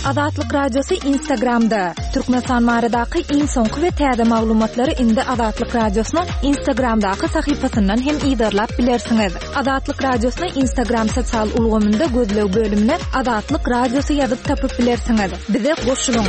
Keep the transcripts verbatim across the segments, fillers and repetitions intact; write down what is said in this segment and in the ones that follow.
Azatlyk Radiosy Instagramda. Türkmenistan baradaky iň soňky we täze maglumatlary indi Azatlyk Radiosynyň Instagramdaky sahypasyndan hem yzarlap bilersiňiz. Azatlyk Radiosyny Instagram sosial ulgamynda gözleg bölümine Azatlyk Radiosy ýazyp tapyp bilersiňiz. Bize goşulyň.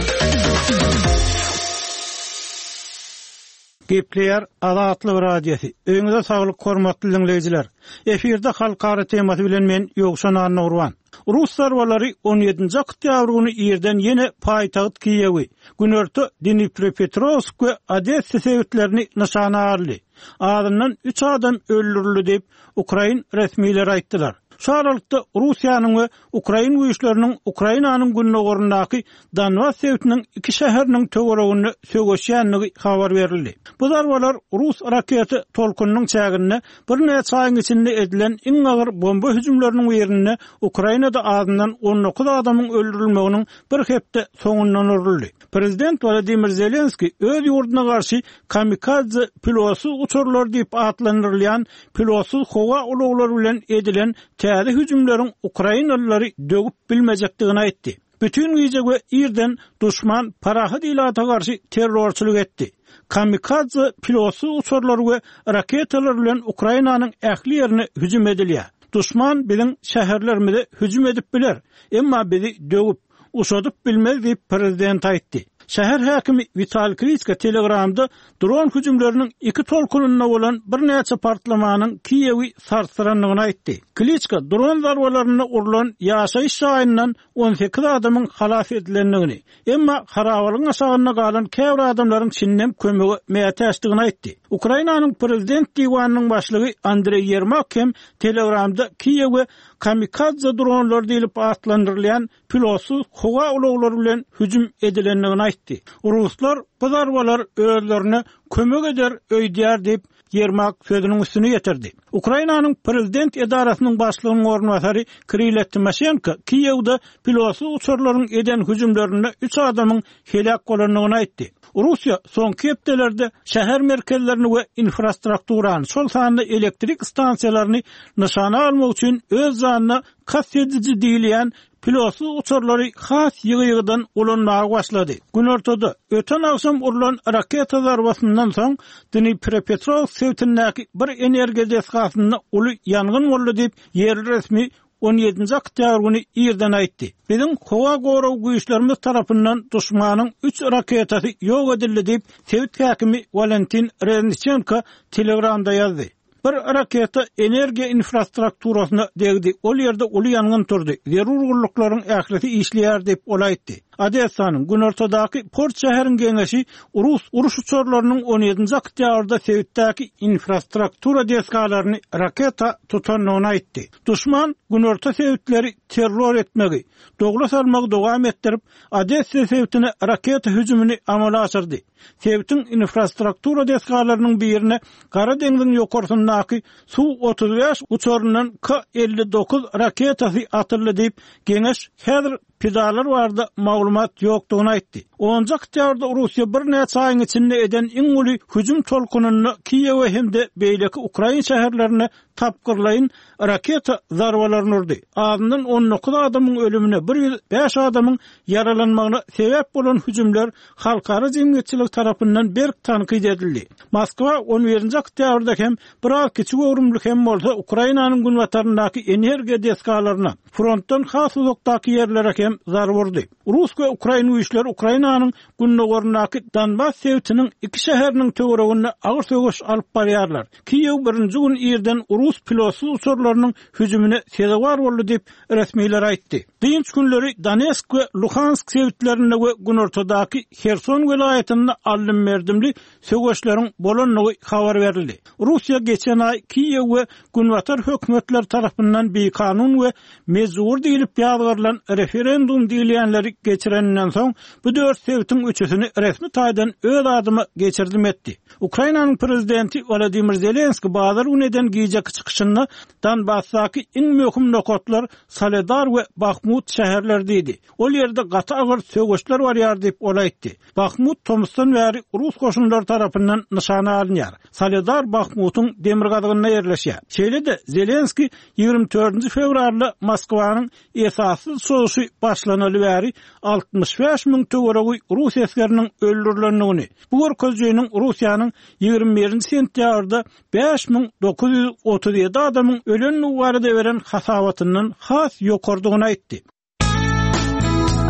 Gepleýär Azatlyk Radiosy. Öýüňize saglyk hormatly dinleýjiler. Efirde halkara temasy bilen men Ýowşan Annagurban. Rus zarbalary on ýedinji oktýabr güni irden ýene paýtagt Kiýewi, günorta Dnipropetrowsk we Odessa sebitlerini nyşana aldy. Azyndan üç adam öldürildi diýip, Ukrain resmileri aýtdylar. Şu aralykda Russiýanyň we Ukrain güýçleriniň Ukrainanyň gündogaryndaky Donbas sebitiniň iki şäheriniň töwereginde söweşýändigi habar berildi. Bu zarbalar Rus raketa tolkunynyň çäginde birnäçe aýyň içinde edilen iň agyr bomba hüjümleriniň birinde Ukrainada azyndan on dokuz adamyň öldürilmeginiň bir hepde soňundan uruldy. Prezident Wladimir Zelenski öz ýurduna garşy kamikadze pilotsyz uçarlar diýip atlandyrylýan pilotsyz howa ulaglary bilen edilen täze hüjümleriň Ukrainalylary döwüp bilmejekdigini aýtdy. Bütün gije we irden duşman parahat ilata garşy terrorçylyk etdi. Kamikadze pilotsyz uçarlar we raketalar bilen Ukrainanyň ähli ýerine hüjüm edilýär. Duşman biziň şäherlerimize hüjüm edip biler, emma bizi döwüp, uşadyp bilmez diýip prezident aýtdy. Şäher häkimi Wital Kliçko Telegramda dron hüjümleriniň iki tolkunynda bolan birnäçe partlamanyň Kiýewi sarsdyrandygyny aýtdy. Kliçko dron zarbalarynda urlan ýaşaýyş jaýyndan on sekiz adamyň halas edilendigini, emma harabalygyň aşagynda galan käbir adamlaryň çinden kömege mätäçdigini aýtdy. Ukrainanyň prezident diwanynyň başlygy Andreý Ýermak hem Telegramda Kiýewe kamikadze dronlar diýlip atlandyrylýan pilotsyz howa ulaglary bilen hüjüm edilendigini aýtdy. Ruslar bu zarbalar özlerine kömek eder öýdýär diýip Ýermak sözüniň üstüne getirdi. Ukrainanyň prezident edarasynyň başlygynyň orunbasary Kirilo Timoşenko Kiýewde pilotsyz uçarlaryň eden hüjümlerinde üç adamyň heläk bolandygyny aýtdy. Russiýa soňky hepdelerde şäher merkezlerini we infrastrukturany, şol sanda elektrik stansiýalaryny nyşana almak üçin öz janyna kast ediji diýilýän pilotsyz uçarlary has ýygy-ýygydan ulanmaga başlady. Günortada öten agşam urlan raketa zarbasyndan soň Dnipropetrowsk sebitindäki bir energiýa desgasynda uly ýangyn boldy diýip ýerli resmi on ýedinji oktýabr güni irden aýtdy. Biziň howa gorag güýçlerimiz tarapyndan duşmanyň üç raketasy ýok edildi diýip sebit häkimi Walentin Reznichenko Telegramda ýazdy. Bir raketa energiýa infrastrukturasyna degdi. Ol ýerde uly ýangyn turdy. Zerur gulluklaryň ählisi işleýär diýip ol aýtdy. Odessanyň günortadaky port şäheriň geňeşi Rus uruş uçarlarynyň on ýedinji oktýabrda sebitdäki infrastruktura desgalaryny raketa tutandygyny aýtdy. Duşman günorta sebitleri terror etmegi, dogla salmagy dowam etdirip, Odessa sebitine raketa hüjümini amala aşyrdy. Sebitiň infrastruktura desgalarynyň birine Gara deňziň ýokarsyndaky Su otuz bäş uçaryndan K elli dokuz raketasy atyldy diýip, geňeş häzir pidalar barada maglumat ýokdugyny aýtdy. Onuncu oktýabrda Russiýa birnäçe aýyň içinde eden iň uly hüjüm tolkunynda Kiýewe hem-de beýleki Ukrain şäherlerine tapgyrlaýyn raketa zarbalaryny urdy. Azyndan on dokuz adamyň ölümine, bir ýüz bäş adamyň ýaralanmagyna sebäp bolan hüjümler halkara jemgyýetçiligi tarapyndan berk tankyt edildi. Moskwa on birinji oktýabrda hem biraz kiçi göwrümli hem bolsa Ukrainanyň günbataryndaky energiýa desgalaryna, frontdan has uzakdaky ýerlere hem zarba urdy. Rus we Ukrain güýçleri Ukrainanyň gündogaryndaky Donbas sebitiniň iki şäheriniň töwereginde agyr söweş alyp barýarlar. Kiýew birinji gün irden Rus pilotsyz uçarlarynyň hüjümine sezewar boldy diýip resmiler aýtdy. Dynç günleri Donetsk we Luhansk sebitlerinde we günortadaky Herson welaýatynda aldym-berdimli söweşleriň bolandygy habar berildi. Russiýa geçen aý Kiýew we Günbatar hökümetleri tarapyndan bikanun we mejbur diýlip ýazgarylan referendum diýilýänleri geçireninden soň bu dört sebitiň üçüsini resmi taýdan öz adyma geçirdim etdi. Ukrainanyň prezidenti Wladimir Zelenski bazar güni eden gijeki çykyşynda Donbasdaky iň möhüm nokatlar Soledar we Bahmut şäherleri diýdi. Ol ýerde gaty agyr söweşler barýar diýip ol aýtdy. Bahmut tomusdan bäri Rus goşunlary tarapyndan nyşana alynýar. Soledar Bahmutyň demirgazygynda ýerleşýär. Şeýle-de Zelenski ýigrimi dördünji fewralda Moskwanyň esassyz çoğuşy başlanaly bäri altmyş bäş müň töweregi rus esgeriniň öldürilendigini, bu görkezijiniň Russiýanyň ýigrimi birinji sentýabrda bäş müň dokuz ýüz otuz ýedi adamyň ölendigi barada beren hasabatyndan has ýokardygyny aýtdy.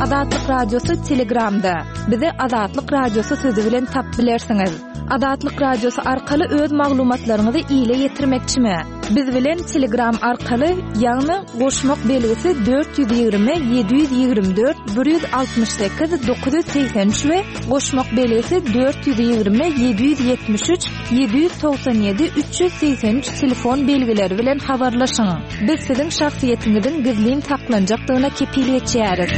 Azatlyk Radiosy Telegramda. Bizi Azatlyk Radiosy sözi bilen tap bilersiňiz. Azatlyk Radiosy arkaly öz maglumatlaryňyzy ile ýetirmekçimi? Biz bilen Telegram arkaly, ýagny goşmak belgisi dört ýüz ýigrimi ýedi ýüz ýigrimi dört bir ýüz altmyş sekiz dokuz ýüz segsen üç we goşmak belgisi dört ýüz ýigrimi ýedi ýüz ýetmiş üç ýedi ýüz togsan ýedi üç ýüz segsen üç telefon belgileri bilen habarlaşyň. Biz siziň şahsyýetiňiziň gizlin saklanjakdygyna kepil geçýäris.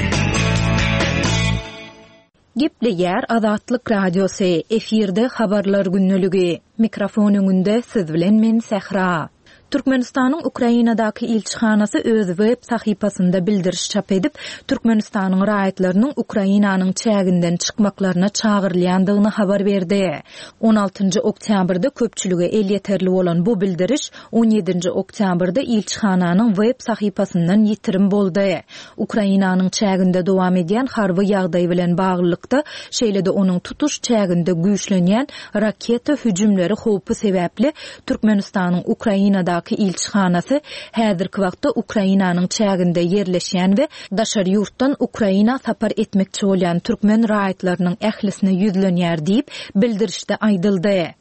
Gepleýär Azatlyk Radiosy, efirde habarlar günlügi. Mikrofon öňünde siz bilen men Sähra. Türkmenistanyň Ukrainadaky ilçihanasy öz web sahypasynda bildiriş çap edip, Türkmenistanyň raýatlarynyň Ukrainanyň çäginden çykmaklaryna çagyrylýandygyny habar berdi. on altynjy oktýabrda köpçülige elýeterli bolan bu bildiriş on ýedinji oktýabrda ilçihananyň web sahypasyndan ýitirim boldy. Ukrainanyň çäginde dowam edýän harby ýagdaý bilen baglylykda, şeýle-de onuň tutuş çäginde güýçlenýän raketa hüjümleri howpy sebäpli Türkmenistanyň Ukrainadaky ilçihanasy häzirki wagtda Ukrainanyň çäginde ýerleşýän we daşary ýurtdan Ukraina sapar etmekçi bolýan türkmen raýatlarynyň ählisine ýüzlenýär diýip bildirişde aýdyldy.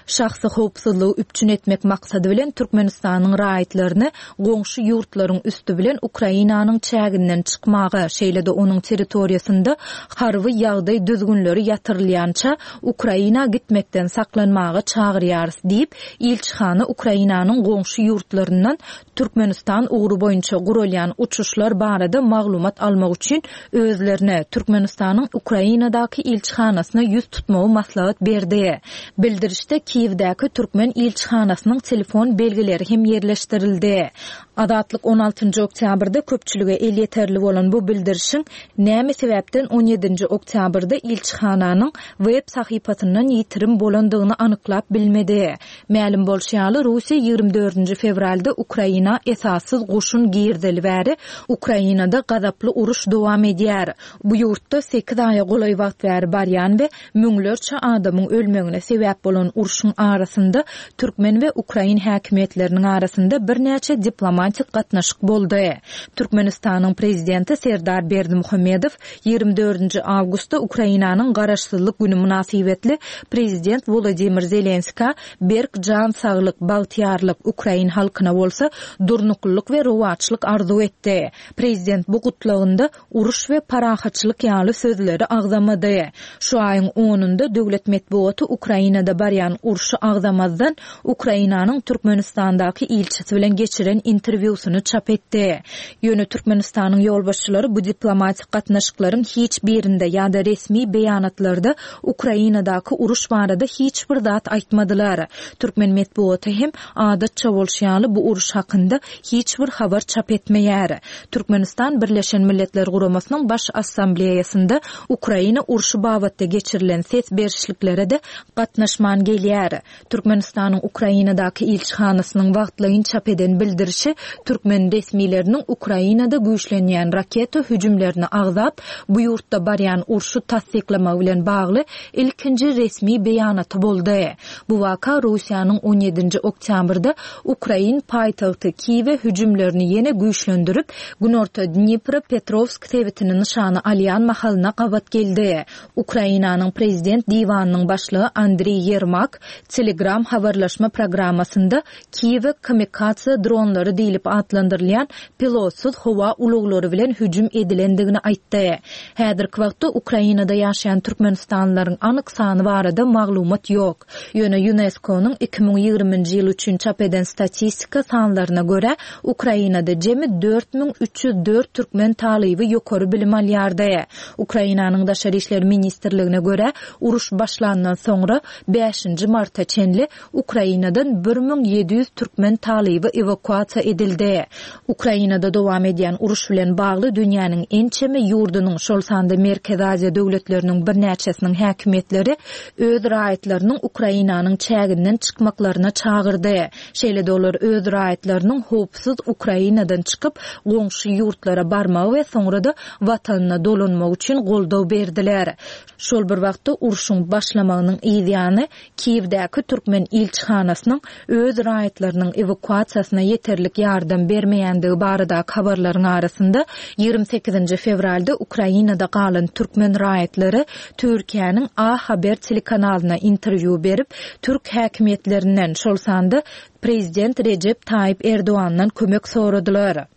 Şahsy howpsuzlygy üpjün etmek maksady bilen Türkmenistanyň raýatlaryny goňşy ýurtlaryň üstü bilen Ukrainanyň çäginden çykmaga, şeýle-de onuň territoriýasynda harby ýagdaý düzgünleri ýatyrylýança Ukraina gitmekden saklanmaga çagyrýarys diýip, ilçihana Ukrainanyň goňşy ýurtlaryndan Türkmenistan ugry boýunça guralýan uçuşlar barada maglumat almak üçin özlerine Türkmenistanyň Ukrainadaky ilçihanasyna ýüz tutmagy maslahat berdi. Bildirişde Kiýewdäki türkmen ilçihanasynyň telefon belgileri hem ýerleşdirildi. Azatlyk on altynjy oktýabrda köpçülige elýeterli bolan bu bildirişiň näme sebäpden on ýedinji oktýabrda ilçihananyň web sahypasyndan ýitirim bolandygyny anyklap bilmedi. Mälim bolşy ýaly, Russiýa ýigrimi dördünji fewralda Ukraina esassyz goşun girdeli bäri Ukrainada gazaply uruş dowam edýär. Bu ýurtda sekiz aýa golaý wagt bäri barýan we müňlerçe adamyň ölmegine sebäp bolan urşuň arasynda türkmen we ukrain häkimiýetleriniň arasynda birnäçe diplomatik gatnaşyk boldy. Türkmenistanyň prezidenti Serdar Berdimuhamedow ýigrimi dördünji awgustda Ukrainanyň garaşsyzlyk günü mynasybetli prezident Volodymyr Zelenska berk jan saglyk, bagtyýarlyk, ukrain halkyna bolsa durnuklylyk we rowaçlyk arzuw etdi. Prezident bu gutlagynda uruş we parahatçylyk ýaly sözleri agzamady. Şu aýyň onunda döwlet metbugaty Ukrainada barýan urşy agzamazdan Ukrainanyň Türkmenistandaky ilçisi bilen geçiren interwýusyny çap etdi. Ýöne Türkmenistanyň ýolbaşçylary bu diplomatik gatnaşyklaryň hiç birinde ýa-da resmi beýanatlarda Ukrainadaky uruş barada hiç bir zat aýtmadylar. Türkmen metbugaty hem adatça bolşy ýaly bu uruş hakynda hiç bir habar çap etmeýär. Türkmenistan Birleşen Milletler Guramasynyň Baş Assambleýasynda Ukraina urşy babatda geçirilen ses berişliklere de gatnaşman gelýär. Türkmenistanyň Ukrainadaky ilçihanasynyň wagtlaýyn çap eden bildirişi türkmen resmileriniň Ukrainada güýçlenýän raketa hüjümlerini agzap, bu ýurtda barýan urşy tassyklamagy bilen bagly ilkinji resmi beýanaty boldy. Bu waka Russiýanyň on ýedinji oktýabrda Ukrain paýtagty Kiýewe hüjümlerini ýene güýçlendirip, Günorta Dnipro-Petrovsk sebitini nyşana alýan mahalyna gabat geldi. Ukrainanyň prezident diwanynyň başlygy Andriy Yermak Telegram habarlaşma programmasynda Kiýewe kamikaze dronlary diýlip atlandyrylýan pilotsyz howa ulaglary bilen hüjüm edilendigini aýtdy. Häzirki wagtda Ukrainada ýaşaýan Türkmenistanlylaryň anyk sany barada maglumat ýok. Ýöne UNESCO-nyň iki müň ýigriminji ýyl üçin çap eden statistika sanlaryna görä Ukrainada jemi dört müň üç ýüz dört türkmen talyby ýokary bilim alýardy. Ukrainanyň Daşary işler ministrligine görä uruş başlandan soňra bäşinji marta çenli Ukrainadan bir müň ýedi ýüz türkmen talyby ewakuasiýa edildi. edildi. Ukrainada dowam edýän uruş bilen bagly dünýäniň ençeme ýurdunyň, şol sanda Merkezi Aziýa döwletleriniň birnäçesiniň häkimiýetleri öz raýatlarynyň Ukrainanyň çäginden çykmaklaryna çagyrdy. Şeýle-de olar öz raýatlarynyň howpsuz Ukrainadan çykyp, goňşy ýurtlara barmagy we soňra-da watanyna dolanmagy üçin goldaw berdiler. Şol bir wagtda urşuň başlamagynyň yzýany Kiýewdäki türkmen ilçihanasynyň öz raýatlarynyň ewakuasiýasyna ýeterlik ýardam bermeýändigi baradaky habarlaryň arasynda ýigrimi sekizinji fewralda Ukrainada galan türkmen raýatlary Türkiýäniň A Haber telekanalyna interwýu berip, türk häkimiýetlerinden, şol sanda prezident Rejep Taýyp Erdogandan kömek soradylar.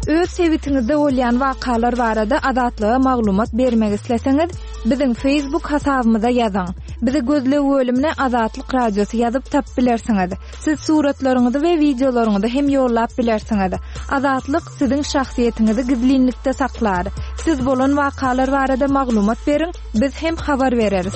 Öz sebitiňizde bolýan wakalar barada Azatlyga maglumat bermek isleseňiz, biziň Facebook hasabymyza ýazyň. Bizi gözleg bölümine Azatlyk Radiosy ýazyp tapyp bilersiňiz. Siz suratlaryňyzy we wideolaryňyzy hem ýollap bilersiňiz. Azatlyk siziň şahsyýetiňizi gizlinlikde saklar. Siz bolan wakalar barada maglumat beriň, biz hem habar bereris.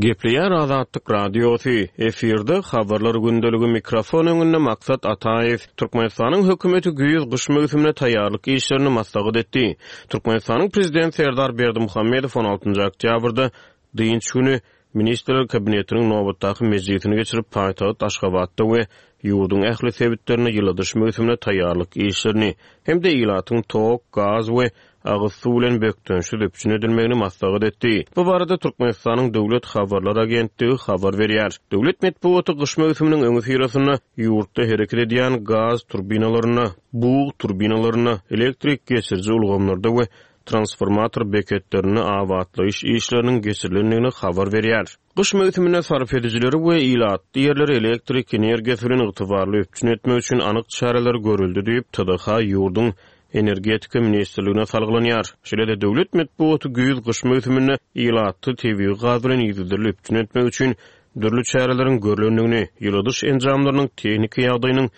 Gepleýär Azatlyk Radiosy, efirde habarlar gündeligi mikrofon öňünde Maksat Ataýew. Türkmenistanyň hökümeti güýz-gyş möwsümine taýýarlyk işlerini maslahat etdi. Türkmenistanyň Prezidenti Serdar Berdimuhamedow on altynjy oktýabrda dynç güni Ministrler Kabinetiniň nobatdaky mejlisini geçirip, paýtagt Aşgabatda we ýurduň ähli sebitlerinde ýyladyş möwsümine taýýarlyk işlerini hem-de ilatyň tok, gaz we agyz suw bilen bökdençsiz üpjün edilmegini maslahat etdi. Bu barada Türkmenistanyň Döwlet habarlar agentligi habar berýär. Döwlet metbugaty gyş möwsüminiň öňüsyrasynda ýurtda hereket edýän gaz turbinalarynda, bug turbinalarynda, elektrik geçiriji ulgamlarda we transformator beketlerinde abatlaýyş işleriniň geçirilendigini habar berýär. Gyş möwsüminde sarp edijileri we ilatly ýerleri elektrik energiýasy bilen ygtybarly üpjün etmek üçin anyk çäreler görüldi diýip, T D H ýurduň Energetika ministrligine salgylanýar. Şeýle-de döwlet metbugaty güýz-gyş möwsüminde ilatly tebigy gaz bilen yzygiderli üpjün etmek üçin dürli çäreleriň görülendigini, ýyladyş enjamlarynyň tehniki ýagdaýynyň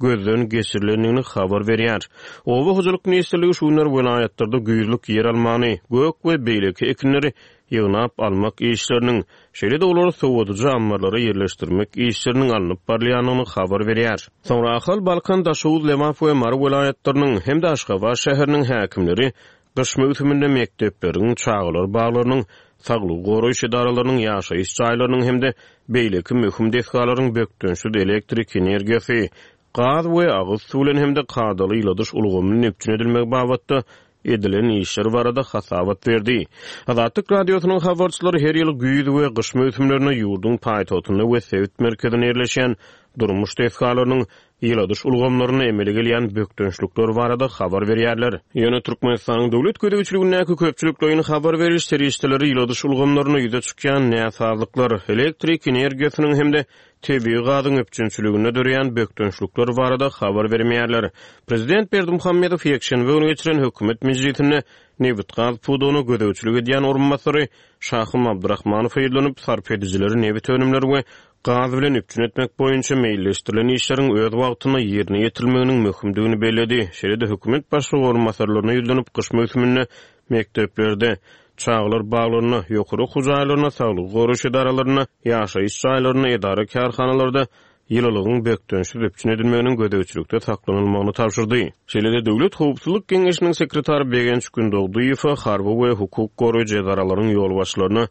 gözden geçirilendigini habar berýär. Oba hojalyk ministrligi şu günler welaýatlarda güýzlük ýer almany, gök we beýleki ekinleri ýygnap almak işleriniň, şeýle-de olary sowadyjy ammarlara ýerleşdirmek işleriniň alnyp barylýandygyny habar berýär. Soňra Ahal, Balkan, Daşoguz, Lebap we Mary welaýatlarynyň hem-de Aşgabat şäheriniň häkimleri gyş möwsüminde mekdepleriň, çagalar baglarynyň, saglygy goraýyş edaralarynyň, ýaşaýyş jaýlarynyň hem-de beýleki möhüm desgalaryň bökdençsiz elektrik energiýasy, gaz we agyz suw bilen hem-de kadaly ýyladyş ulgamynyň üpjün edilmegi babatda edilen işler barada hasabat berdi. Azatlyk Radiosynyň habarçylary her ýyl güýz we gyş möwsümlerinde ýurduň paýtagtynda we sebit merkezinde ýerleşen durmuş desgalarynyň ýyladyş ulgamlaryna emele gelýän bökdençlikler barada habar berýärler. Ýöne Türkmenistanyň döwlet gözegçiligindäki köpçülikleýin habar beriş serişdeleri ýyladyş ulgamlaryna ýüze çykýan näsazlyklar, elektrik energiýasynyň hem-de tebigy gazyň üpjünçiliginde döreýän bökdençlikler barada habar bermeýärler. Prezident Berdimuhamedow ýekşenbe güni geçiren hökümet mejlisinde nebit-gaz pudagyna gözegçilik edýän orunbasary Şahym Abdurrahmanow ýüzlenip, sarp edijileri nebit önümleri we gaz bilen üpjün etmek boýunça meýilleşdirilen işleriň öz wagtynda ýerine ýetirilmeginiň möhümdigini belledi. Şeýle-de hökümet başlygy orunbasarlaryna ýüzlenip, gyş möwsüminde mekdeplerde, çagalar baglarynda, ýokary okuw jaýlarynda, saglygy goraýyş edaralarynda, ýaşaýyş jaýlarynda, edara-kärhanalarda ýylylygyň bökdençsiz üpjün edilmeginiň gözegçilikde saklanylmagyny tabşyrdy. Şeýle-de Döwlet Howpsuzlyk Geňeşiniň sekretary Begenç Gündogdyýewa harby we hukuk goraýjy edaralaryň ýolbaşçylaryna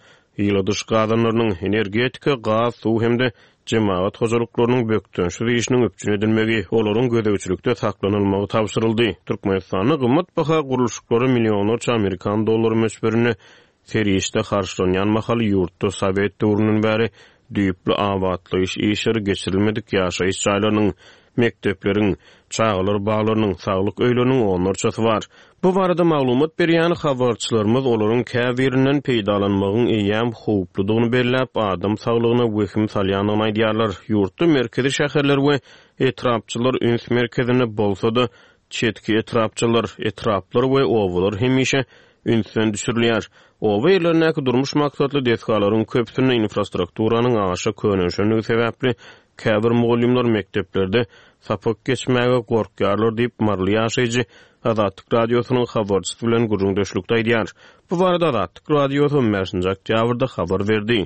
ýyladyş gazanlarynyň, energetika, gaz, suw hem-de jemagat hojalyklarynyň bökdençsiz işiniň üpjün edilmegi, olaryň gözegçilikde saklanylmagy tabşyryldy. Türkmenistanda gymmat baha gurluşyklara millionlarça Amerikan dollary möçberinde serişde harçlanýan mahaly ýurtda Sowet döwründen bäri düýpli abatlaýyş işleri geçirilmedik ýaşaýyş jaýlarynyň, mekdepleriň, çagalar baglarynyň, saglyk öýleriniň onlarçasy bar. Bu barada maglumat berýän habarçylarymyz olaryň käbirinden peýdalanmagyň eýýäm howpludygyny belläp, adam saglygyna wehim salýandygyny aýdýarlar. Ýurtda merkezi şäherler we etrapçylar üns merkezinde bolsa-da, çetki etrapçylar, etraplar we obalar hemişe ünsden düşürilýär. Oba ýerlerindäki durmuş maksatly desgalaryň köpüsinde infrastrukturanyň aşa könelşenligi sebäpli käbir mugallymlar mekdeplerde sapak geçmäge gorkýarlar diýip Maryly ýaşaýjy Azatlyk Radiosynyň habarçysy bilen gürrüňdeşlikde aýdýar. Bu barada Azatlyk Radiosy on bäşinji oktýabrda habar berdi.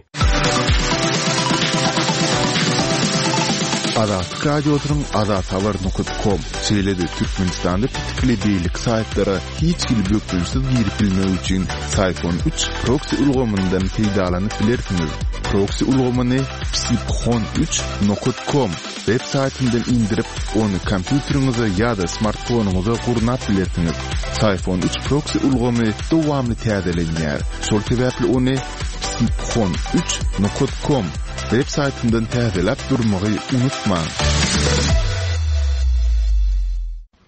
Azatlyk Radiosynyň azathabar nokta kom, şeýle-de Türkmenistanda petikli beýleki saýtlara hiç hili bökdençsiz girip bilmek üçin Syfon üç proksi ulgamyndan peýdalanyp bilersiňiz. Proksi ulgamyny psiphon üç nokta kom web saýtyndan indirip, ony kompýuteriňize ýa-da smartfonyňyza gurnap bilersiňiz. Syfon üç proksi ulgamy dowamly täzelenýär. Şol sebäpli ony psiphon üç nokta kom web saýtyndan täzeläp durmagy unutmaň.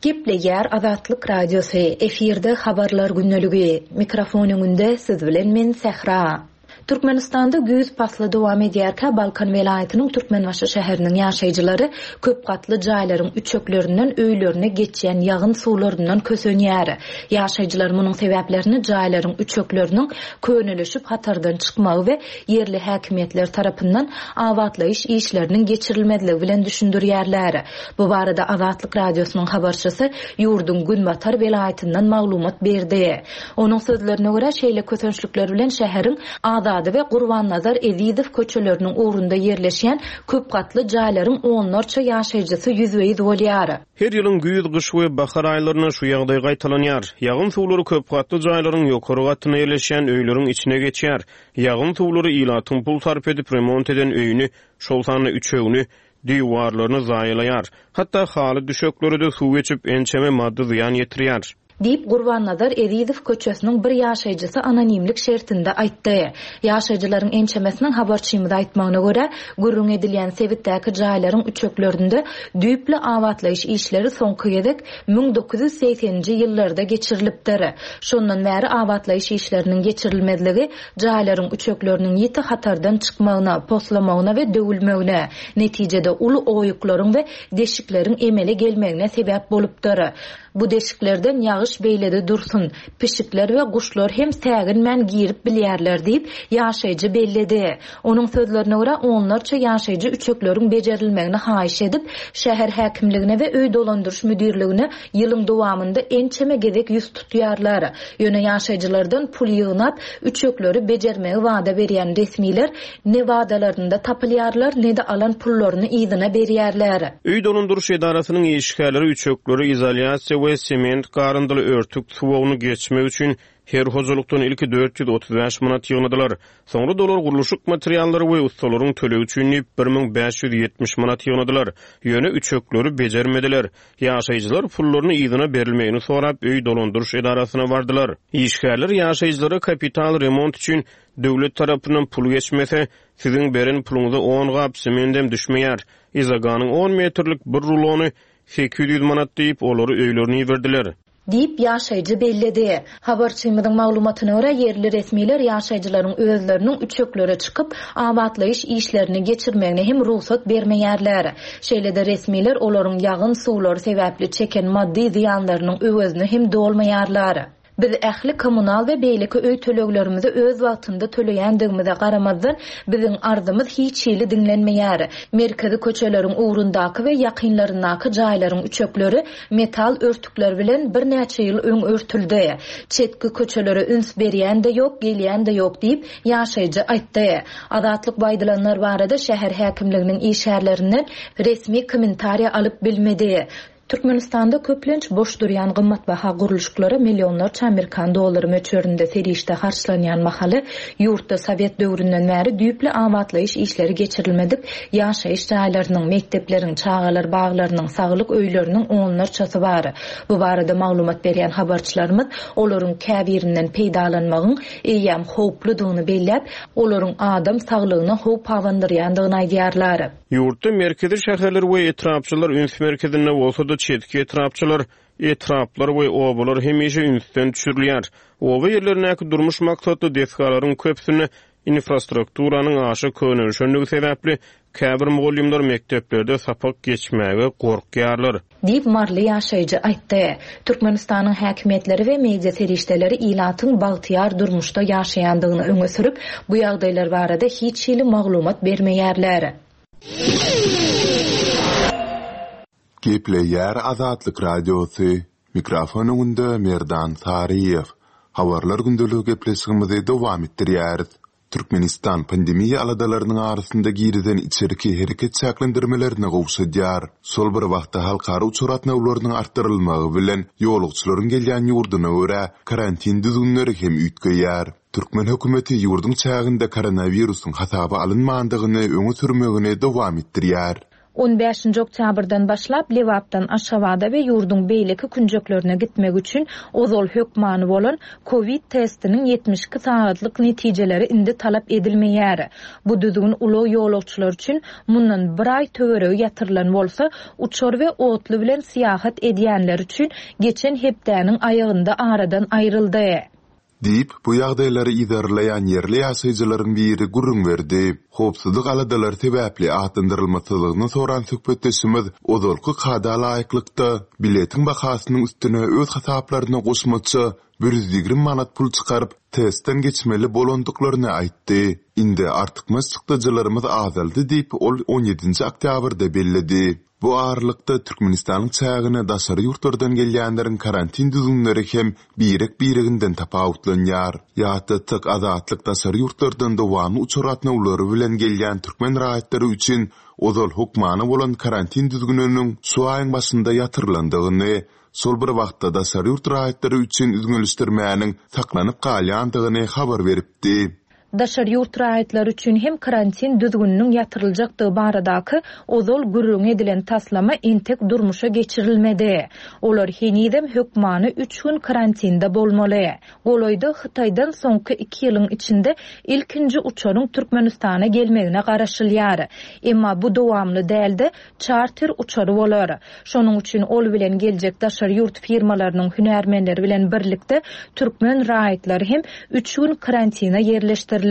Gepleýär Azatlyk Radiosy, efirde habarlar gündeligi. Mikrofon öňünde siz bilen men Sähra. Türkmenistanda güýz pasly dowam edýärkä Balkan welaýatynyň Türkmenbaşy şäheriniň ýaşaýjylary köp gatly jaýlaryň üçeklerinden öýlerine geçýän ýagyn suwlaryndan kösenýär. Ýaşaýjylar munuň sebäplerini jaýlaryň üçekleriniň könelişip hatardan çykmagy we ýerli häkimiýetler tarapyndan abatlaýyş işleriniň geçirilmezligi bilen düşündirýärler. Bu barada Azatlyk Radiosynyň habarçysy ýurduň Günbatar welaýatyndan maglumat berdi. Onuň sözlerine görä şeýle kösençlikler bilen şäheriň Azady we Gurbannazar Ezizow köçeleriniň ugrunda ýerleşýän köp gatly jaýlaryň onlarça ýaşaýjysy ýüzbe-ýüz bolýar. Her ýylyň güýz, gyş we bahar aýlarynda şu ýagdaý gaýtalanýar. Ýagyn suwlary köp gatly jaýlaryň ýokary gatynda ýerleşýän öýleriň içine geçýär. Ýagyn suwlary ilatyň pul sarp edip remont eden öýüni, şol sanda üçegini, diwarlaryny zaýalaýar. Hatda haly düşekleri de suw geçip ençeme maddy zyýan ýetirýär. Diýip Gurbannazar Ezizow köçesiniň bir ýaşaýjysy anonimlik şertinde aýtdy. Ýaşaýjylaryň ençemesiniň habarçymyza aýtmagyna görä, gürrüň edilýän sebitdäki jaýlaryň üçeklerinde düýpli abatlaýyş işleri soňky gezek müň dokuz ýüz segseninji ýyllarda geçirilipdir. Şondan bäri abatlaýyş işleriniň geçirilmezligi jaýlaryň üçekleriniň ýiti hatardan çykmagyna, poslamagyna we döwülmegine, netijede uly oýuklaryň we deşikleriň emele gelmegine sebäp bolupdyr. Bu deşiklerden ýagyş beýlede dursun, pişikler we guşlar hem säginmän girip bilýärler diýip, ýaşaýjy belledi. Onuň sözlerine görä onlarça ýaşaýjy üçekleriň bejerilmegini haýyş edip, şäher häkimligine we öý dolandyryş müdirligine ýylyň dowamynda ençeme gezek ýüz tutýarlar. Ýöne ýaşaýjylardan pul ýygnap, üçekleri bejermegi wada berýän resmiler ne wadalarynda tapylýarlar, ne de alan pullaryny yzyna berýärler. Öý dolandyryş edarasynyň işgärleri üçekleri izolýasiýa we sement garyndyly örtük suwagyny geçmek üçin her hojalykdan ilki dört ýüz otuz bäş manat ýygnadylar. Soňra dolar gurluşyk materiallary we ustalaryň tölegi üçin diýip bir müň bäş ýüz ýetmiş manat ýygnadylar. Ýöne üçekleri bejermediler. Ýaşaýjylar pullaryny yzyna berilmegini sorap öý dolandyryş edarasyna bardylar. Işgärler ýaşaýjylara kapital remont üçin döwlet tarapyndan pul geçmese, siziň beren puluňyza on gap semendem düşmeýär. Izaganyň on metrlik bir rulony sekiz ýüz manat diýip olary öýlerine iberdiler. Diýip ýaşaýjy belledi. Habarçymyzyň maglumatyna görä ýerli resmiler ýaşaýjylaryň özleriniň üçeklere çykyp abatlaýyş işlerini geçirmegine hem rugsat bermeýärler. Şeýle-de resmiler olaryň ýagyn suwlary sebäpli çeken maddy zyýanlarynyň öwezini hem dolmaýarlar. Biz ähli kommunal we beýleki öý töleglerimizi öz wagtynda töleýändigimize garamazdan biziň arzymyz hiç hili diňlenmeýär. Merkezi köçeleriň ugrundaky we ýakynlaryndaky jaýlaryň üçekleri metal örtükler bilen birnäçe ýyl öň örtüldi. Çetki köçelere üns berýän de ýok, gelýän de ýok diýip ýaşaýjy aýtdy. Azatlyk baýdylanlar barada şäher häkimliginiň işgärlerinden resmi kommentariýa alyp bilmedi. Türkmenistanda köplenç boş durýan gymmatbaha gurluşyklara millionlarça Amerikan dollary möçberinde serişde harçlanýan mahaly ýurtda Sowet döwründen bäri düýpli abatlaýyş işleri geçirilmedik ýaşaýyş jaýlarynyň, mekdepleriň, çagalar baglarynyň, saglyk öýleriniň onlarçasy bar. Bu barada maglumat berýän habarçylarymyz olaryň käbirinden peýdalanmagyň eýýäm howpludygyny belläp, olaryň adam saglygyna howp abandyrýandygyny aýdýarlar. Ýurtda merkezi şäherler we etrapçylar üns merkezinde bolsa da çetki etrapçylar, etraplar we obalar hemişe ünsden düşürilýär. Oba ýerlerindäki durmuş maksatly desgalaryň köpüsinde infrastrukturanyň aşa könelişendigi sebäpli käbir mugallymlar mekdeplerde sapak geçmäge gorkýarlar. Diýip Marly ýaşaýjy aýtdy. Türkmenistanyň häkimiýetleri we media serişdeleri ilatyň bagtyýar durmuşda ýaşaýandygyny öňe sürüp, bu ýagdaýlar barada hiç hili maglumat bermeýärler. Gepleýär Azatlyk Radiosy. Mikrofon öňünde Merdan Saryýew. Habarlar gündeligi gepleşigimizi dowam etdirýäris. Türkmenistan pandemiýa aladalarynyň arasynda girizen içerki hereket çäklendirmelerini gowşadýar. Şol bir wagtda halkara uçar gatnawlarynyň artdyrylmagy bilen ýolagçylaryň gelýän ýurduna görä karantin düzgünleri hem üýtgeýär. Türkmen hökümeti ýurduň çäginde koronawirusyň hasaba alynmandygyny öňe sürmegini dowam etdirýär. On bäşinji oktýabrdan başlap Lebapdan Aşgabada we ýurduň beýleki künjeklerine gitmek üçin ozal hökmany bolan Covid testiniň ýetmiş iki sagatlyk netijeleri indi talap edilmeýär. Bu düzgün ulag ýolagçylar üçin mundan bir aý töweregi ýatyrylan bolsa, uçar we otly bilen syýahat edýänler üçin geçen hepdäniň aýagynda aradan aýryldy. Diýip, bu ýagdaýlary yzarlaýan ýerli ýaşaýjylaryň biri gürrüň berdi. Howpsuzlyk aladalary sebäpli atlandyrylmasyzlygyny soran söhbetdeşimiz ozalky kada laýyklykda biletiň bahasynyň üstüne öz hasaplaryna goşmaça bir ýüz ýigrimi manat pul çykaryp, testden geçmeli bolandyklaryny aýtdy. Indi artykmaç çykdajylarymyz azaldy diýip, ol on ýedinji oktýabrda belledi. Bu aralykda Türkmenistanyň çägine daşary ýurtlardan gelýänleriň karantin düzgünleri hem birek-bireginden tapawutlanýar. Ýatlatsak, Azatlyk daşary ýurtlardan dowamly uçar gatnawlary bilen gelýän türkmen raýatlary üçin ozal hökmany bolan karantin düzgüniniň şu aýyň başynda ýatyrylandygyny, şol bir wagtda daşary ýurt raýatlary üçin üzňelişdirmäniň saklanyp galýandygyny habar beripdi. Daşary ýurt raýatlary üçin hem karantin düzgüniniň ýatyryljakdygy baradaky ozal gürrüň edilen taslama entek durmuşa geçirilmedi. Olar henizem hökmany üç gün karantinde bolmaly. Golaýda Hytaýdan soňky iki ýylyň içinde ilkinji uçaryň Türkmenistana gelmegine garaşylýar. Emma bu dowamly dälde çarter uçary bolar. Şonuň üçin ol bilen geljek daşary ýurt firmalarynyň hünärmenleri bilen birlikde türkmen raýatlary hem üç gün karantina ýerleşdiriler.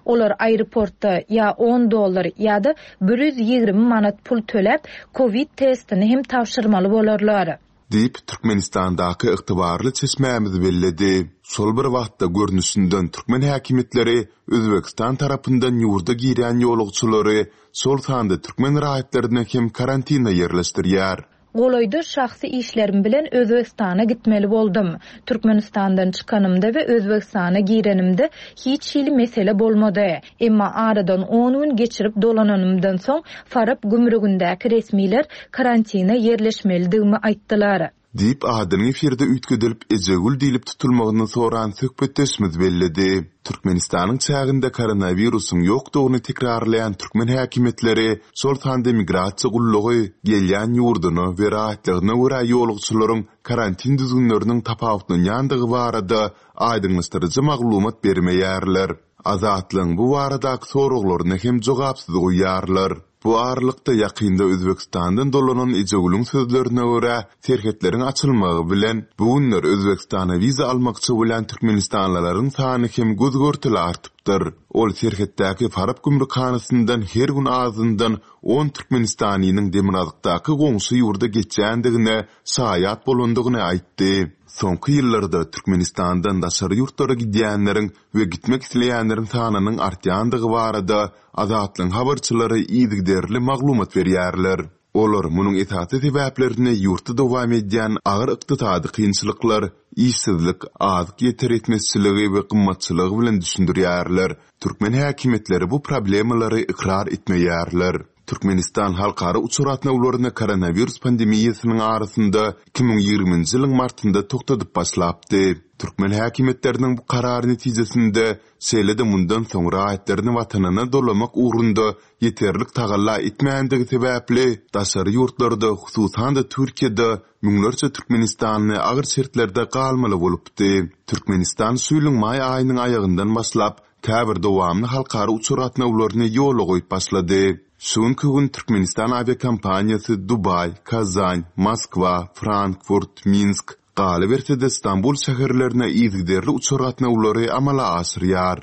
Olar aeroportda ýa on dollar ýa-da bir ýüz ýigrimi manat pul töläp Covid testini hem tabşyrmaly bolarlar. Diýip, Türkmenistandaky ygtybarly çeşmämiz belledi. Şol bir wagtda görnüşinden türkmen häkimiýetleri Özbekistan tarapyndan ýurda girýän ýolagçylary, şol sanda türkmen raýatlaryny hem karantina ýerleşdirýär. Golaýda şahsy işlerim bilen Özbekistana gitmeli boldum. Türkmenistandan çykanymda we Özbekistana girenimde hiç hili mesele bolmady. Emma aradan on gün geçirip dolananymdan soň Farap gümrügindäki resmiler karantina ýerleşmelidigimi aýtdylar. Diýip, adynyň efirde üýtgedilip Ejegül diýlip tutulmagyny soran söhbetdeşimiz belledi. Türkmenistanyň çäginde koronawirusyň ýokdugyny tekrarlaýan türkmen häkimiýetleri, şol sanda migrasiýa gullugy gelýän ýurduna we raýatlygyna görä ýolagçylaryň karantin düzgünleriniň tapawutlanýandygy barada aýdyňlaşdyryjy maglumat bermeýärler. Azatlygyň bu baradaky soraglaryny hem jogapsyz goýýarlar. Bu aralykda ýakynda Özbekistandan dolanan Ejegülüň sözlerine görä, serhetleriň açylmagy bilen bu günler Özbekistana wiza almakçy bolan türkmenistanlylaryň sany hem göz görteli artypdyr. Ol serhetdäki Farap gümrükhanasyndan her gün azyndan on türkmenistanynyň demirgazykdaky goňşy ýurda geçýändigine şaýat bolandygyny aýtdy. Soňky ýyllarda Türkmenistandan daşary ýurtlara gidýänleriň we gitmek isleýänleriň sanynyň artýandygy barada Azatlygyň habarçylary yzygiderli maglumat berýärler. Olar munuň esasy sebäplerini ýurtda dowam edýän agyr ykdysady kynçylyklar, işsizlik, azyk ýeter etmezçiligi we gymmatçylygy bilen düşündirýärler. Türkmen häkimiýetleri bu problemalary ykrar etmeýärler. Türkmenistan halkara uçar gatnawlaryny koronawirus pandemiýasynyň arasynda iki müň ýigriminji ýylyň martynda togtadyp başlapdy. Türkmen häkimiýetleriniň bu karary netijesinde şeýle-de mundan soň raýatlaryny watanyna dolamak ugrunda ýeterlik tagalla etmändigi sebäpli daşary ýurtlarda, hususan-da Türkiýede müňlerçe Türkmenistanly agyr şertlerde galmaly bolupdy. Türkmenistan şu ýylyň maý aýynyň aýagyndan başlap käbir dowamly halkara uçar gatnawlaryny ýola goýup başlady. Şu günki gün Türkmenistan awiakompaniýasy Dubaý, Kazan, Moskwa, Frankfurt, Minsk, galyberse-de Stambul şäherlerine yzygiderli uçar gatnawlary amala aşyrýar.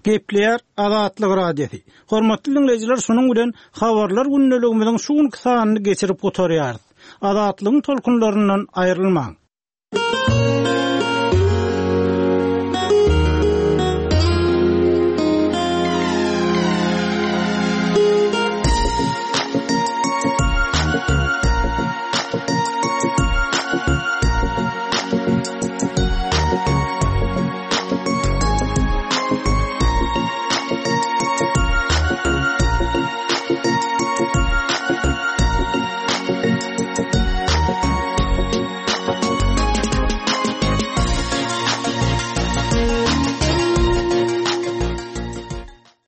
Gepleýär Azatlyk Radiosy. Hormatly dinleýjiler, şunuň bilen habarlar gündeligimiziň şu günki sanyny geçirip gutarýarys. Azatlygyň tolkunlaryndan aýrylmaň.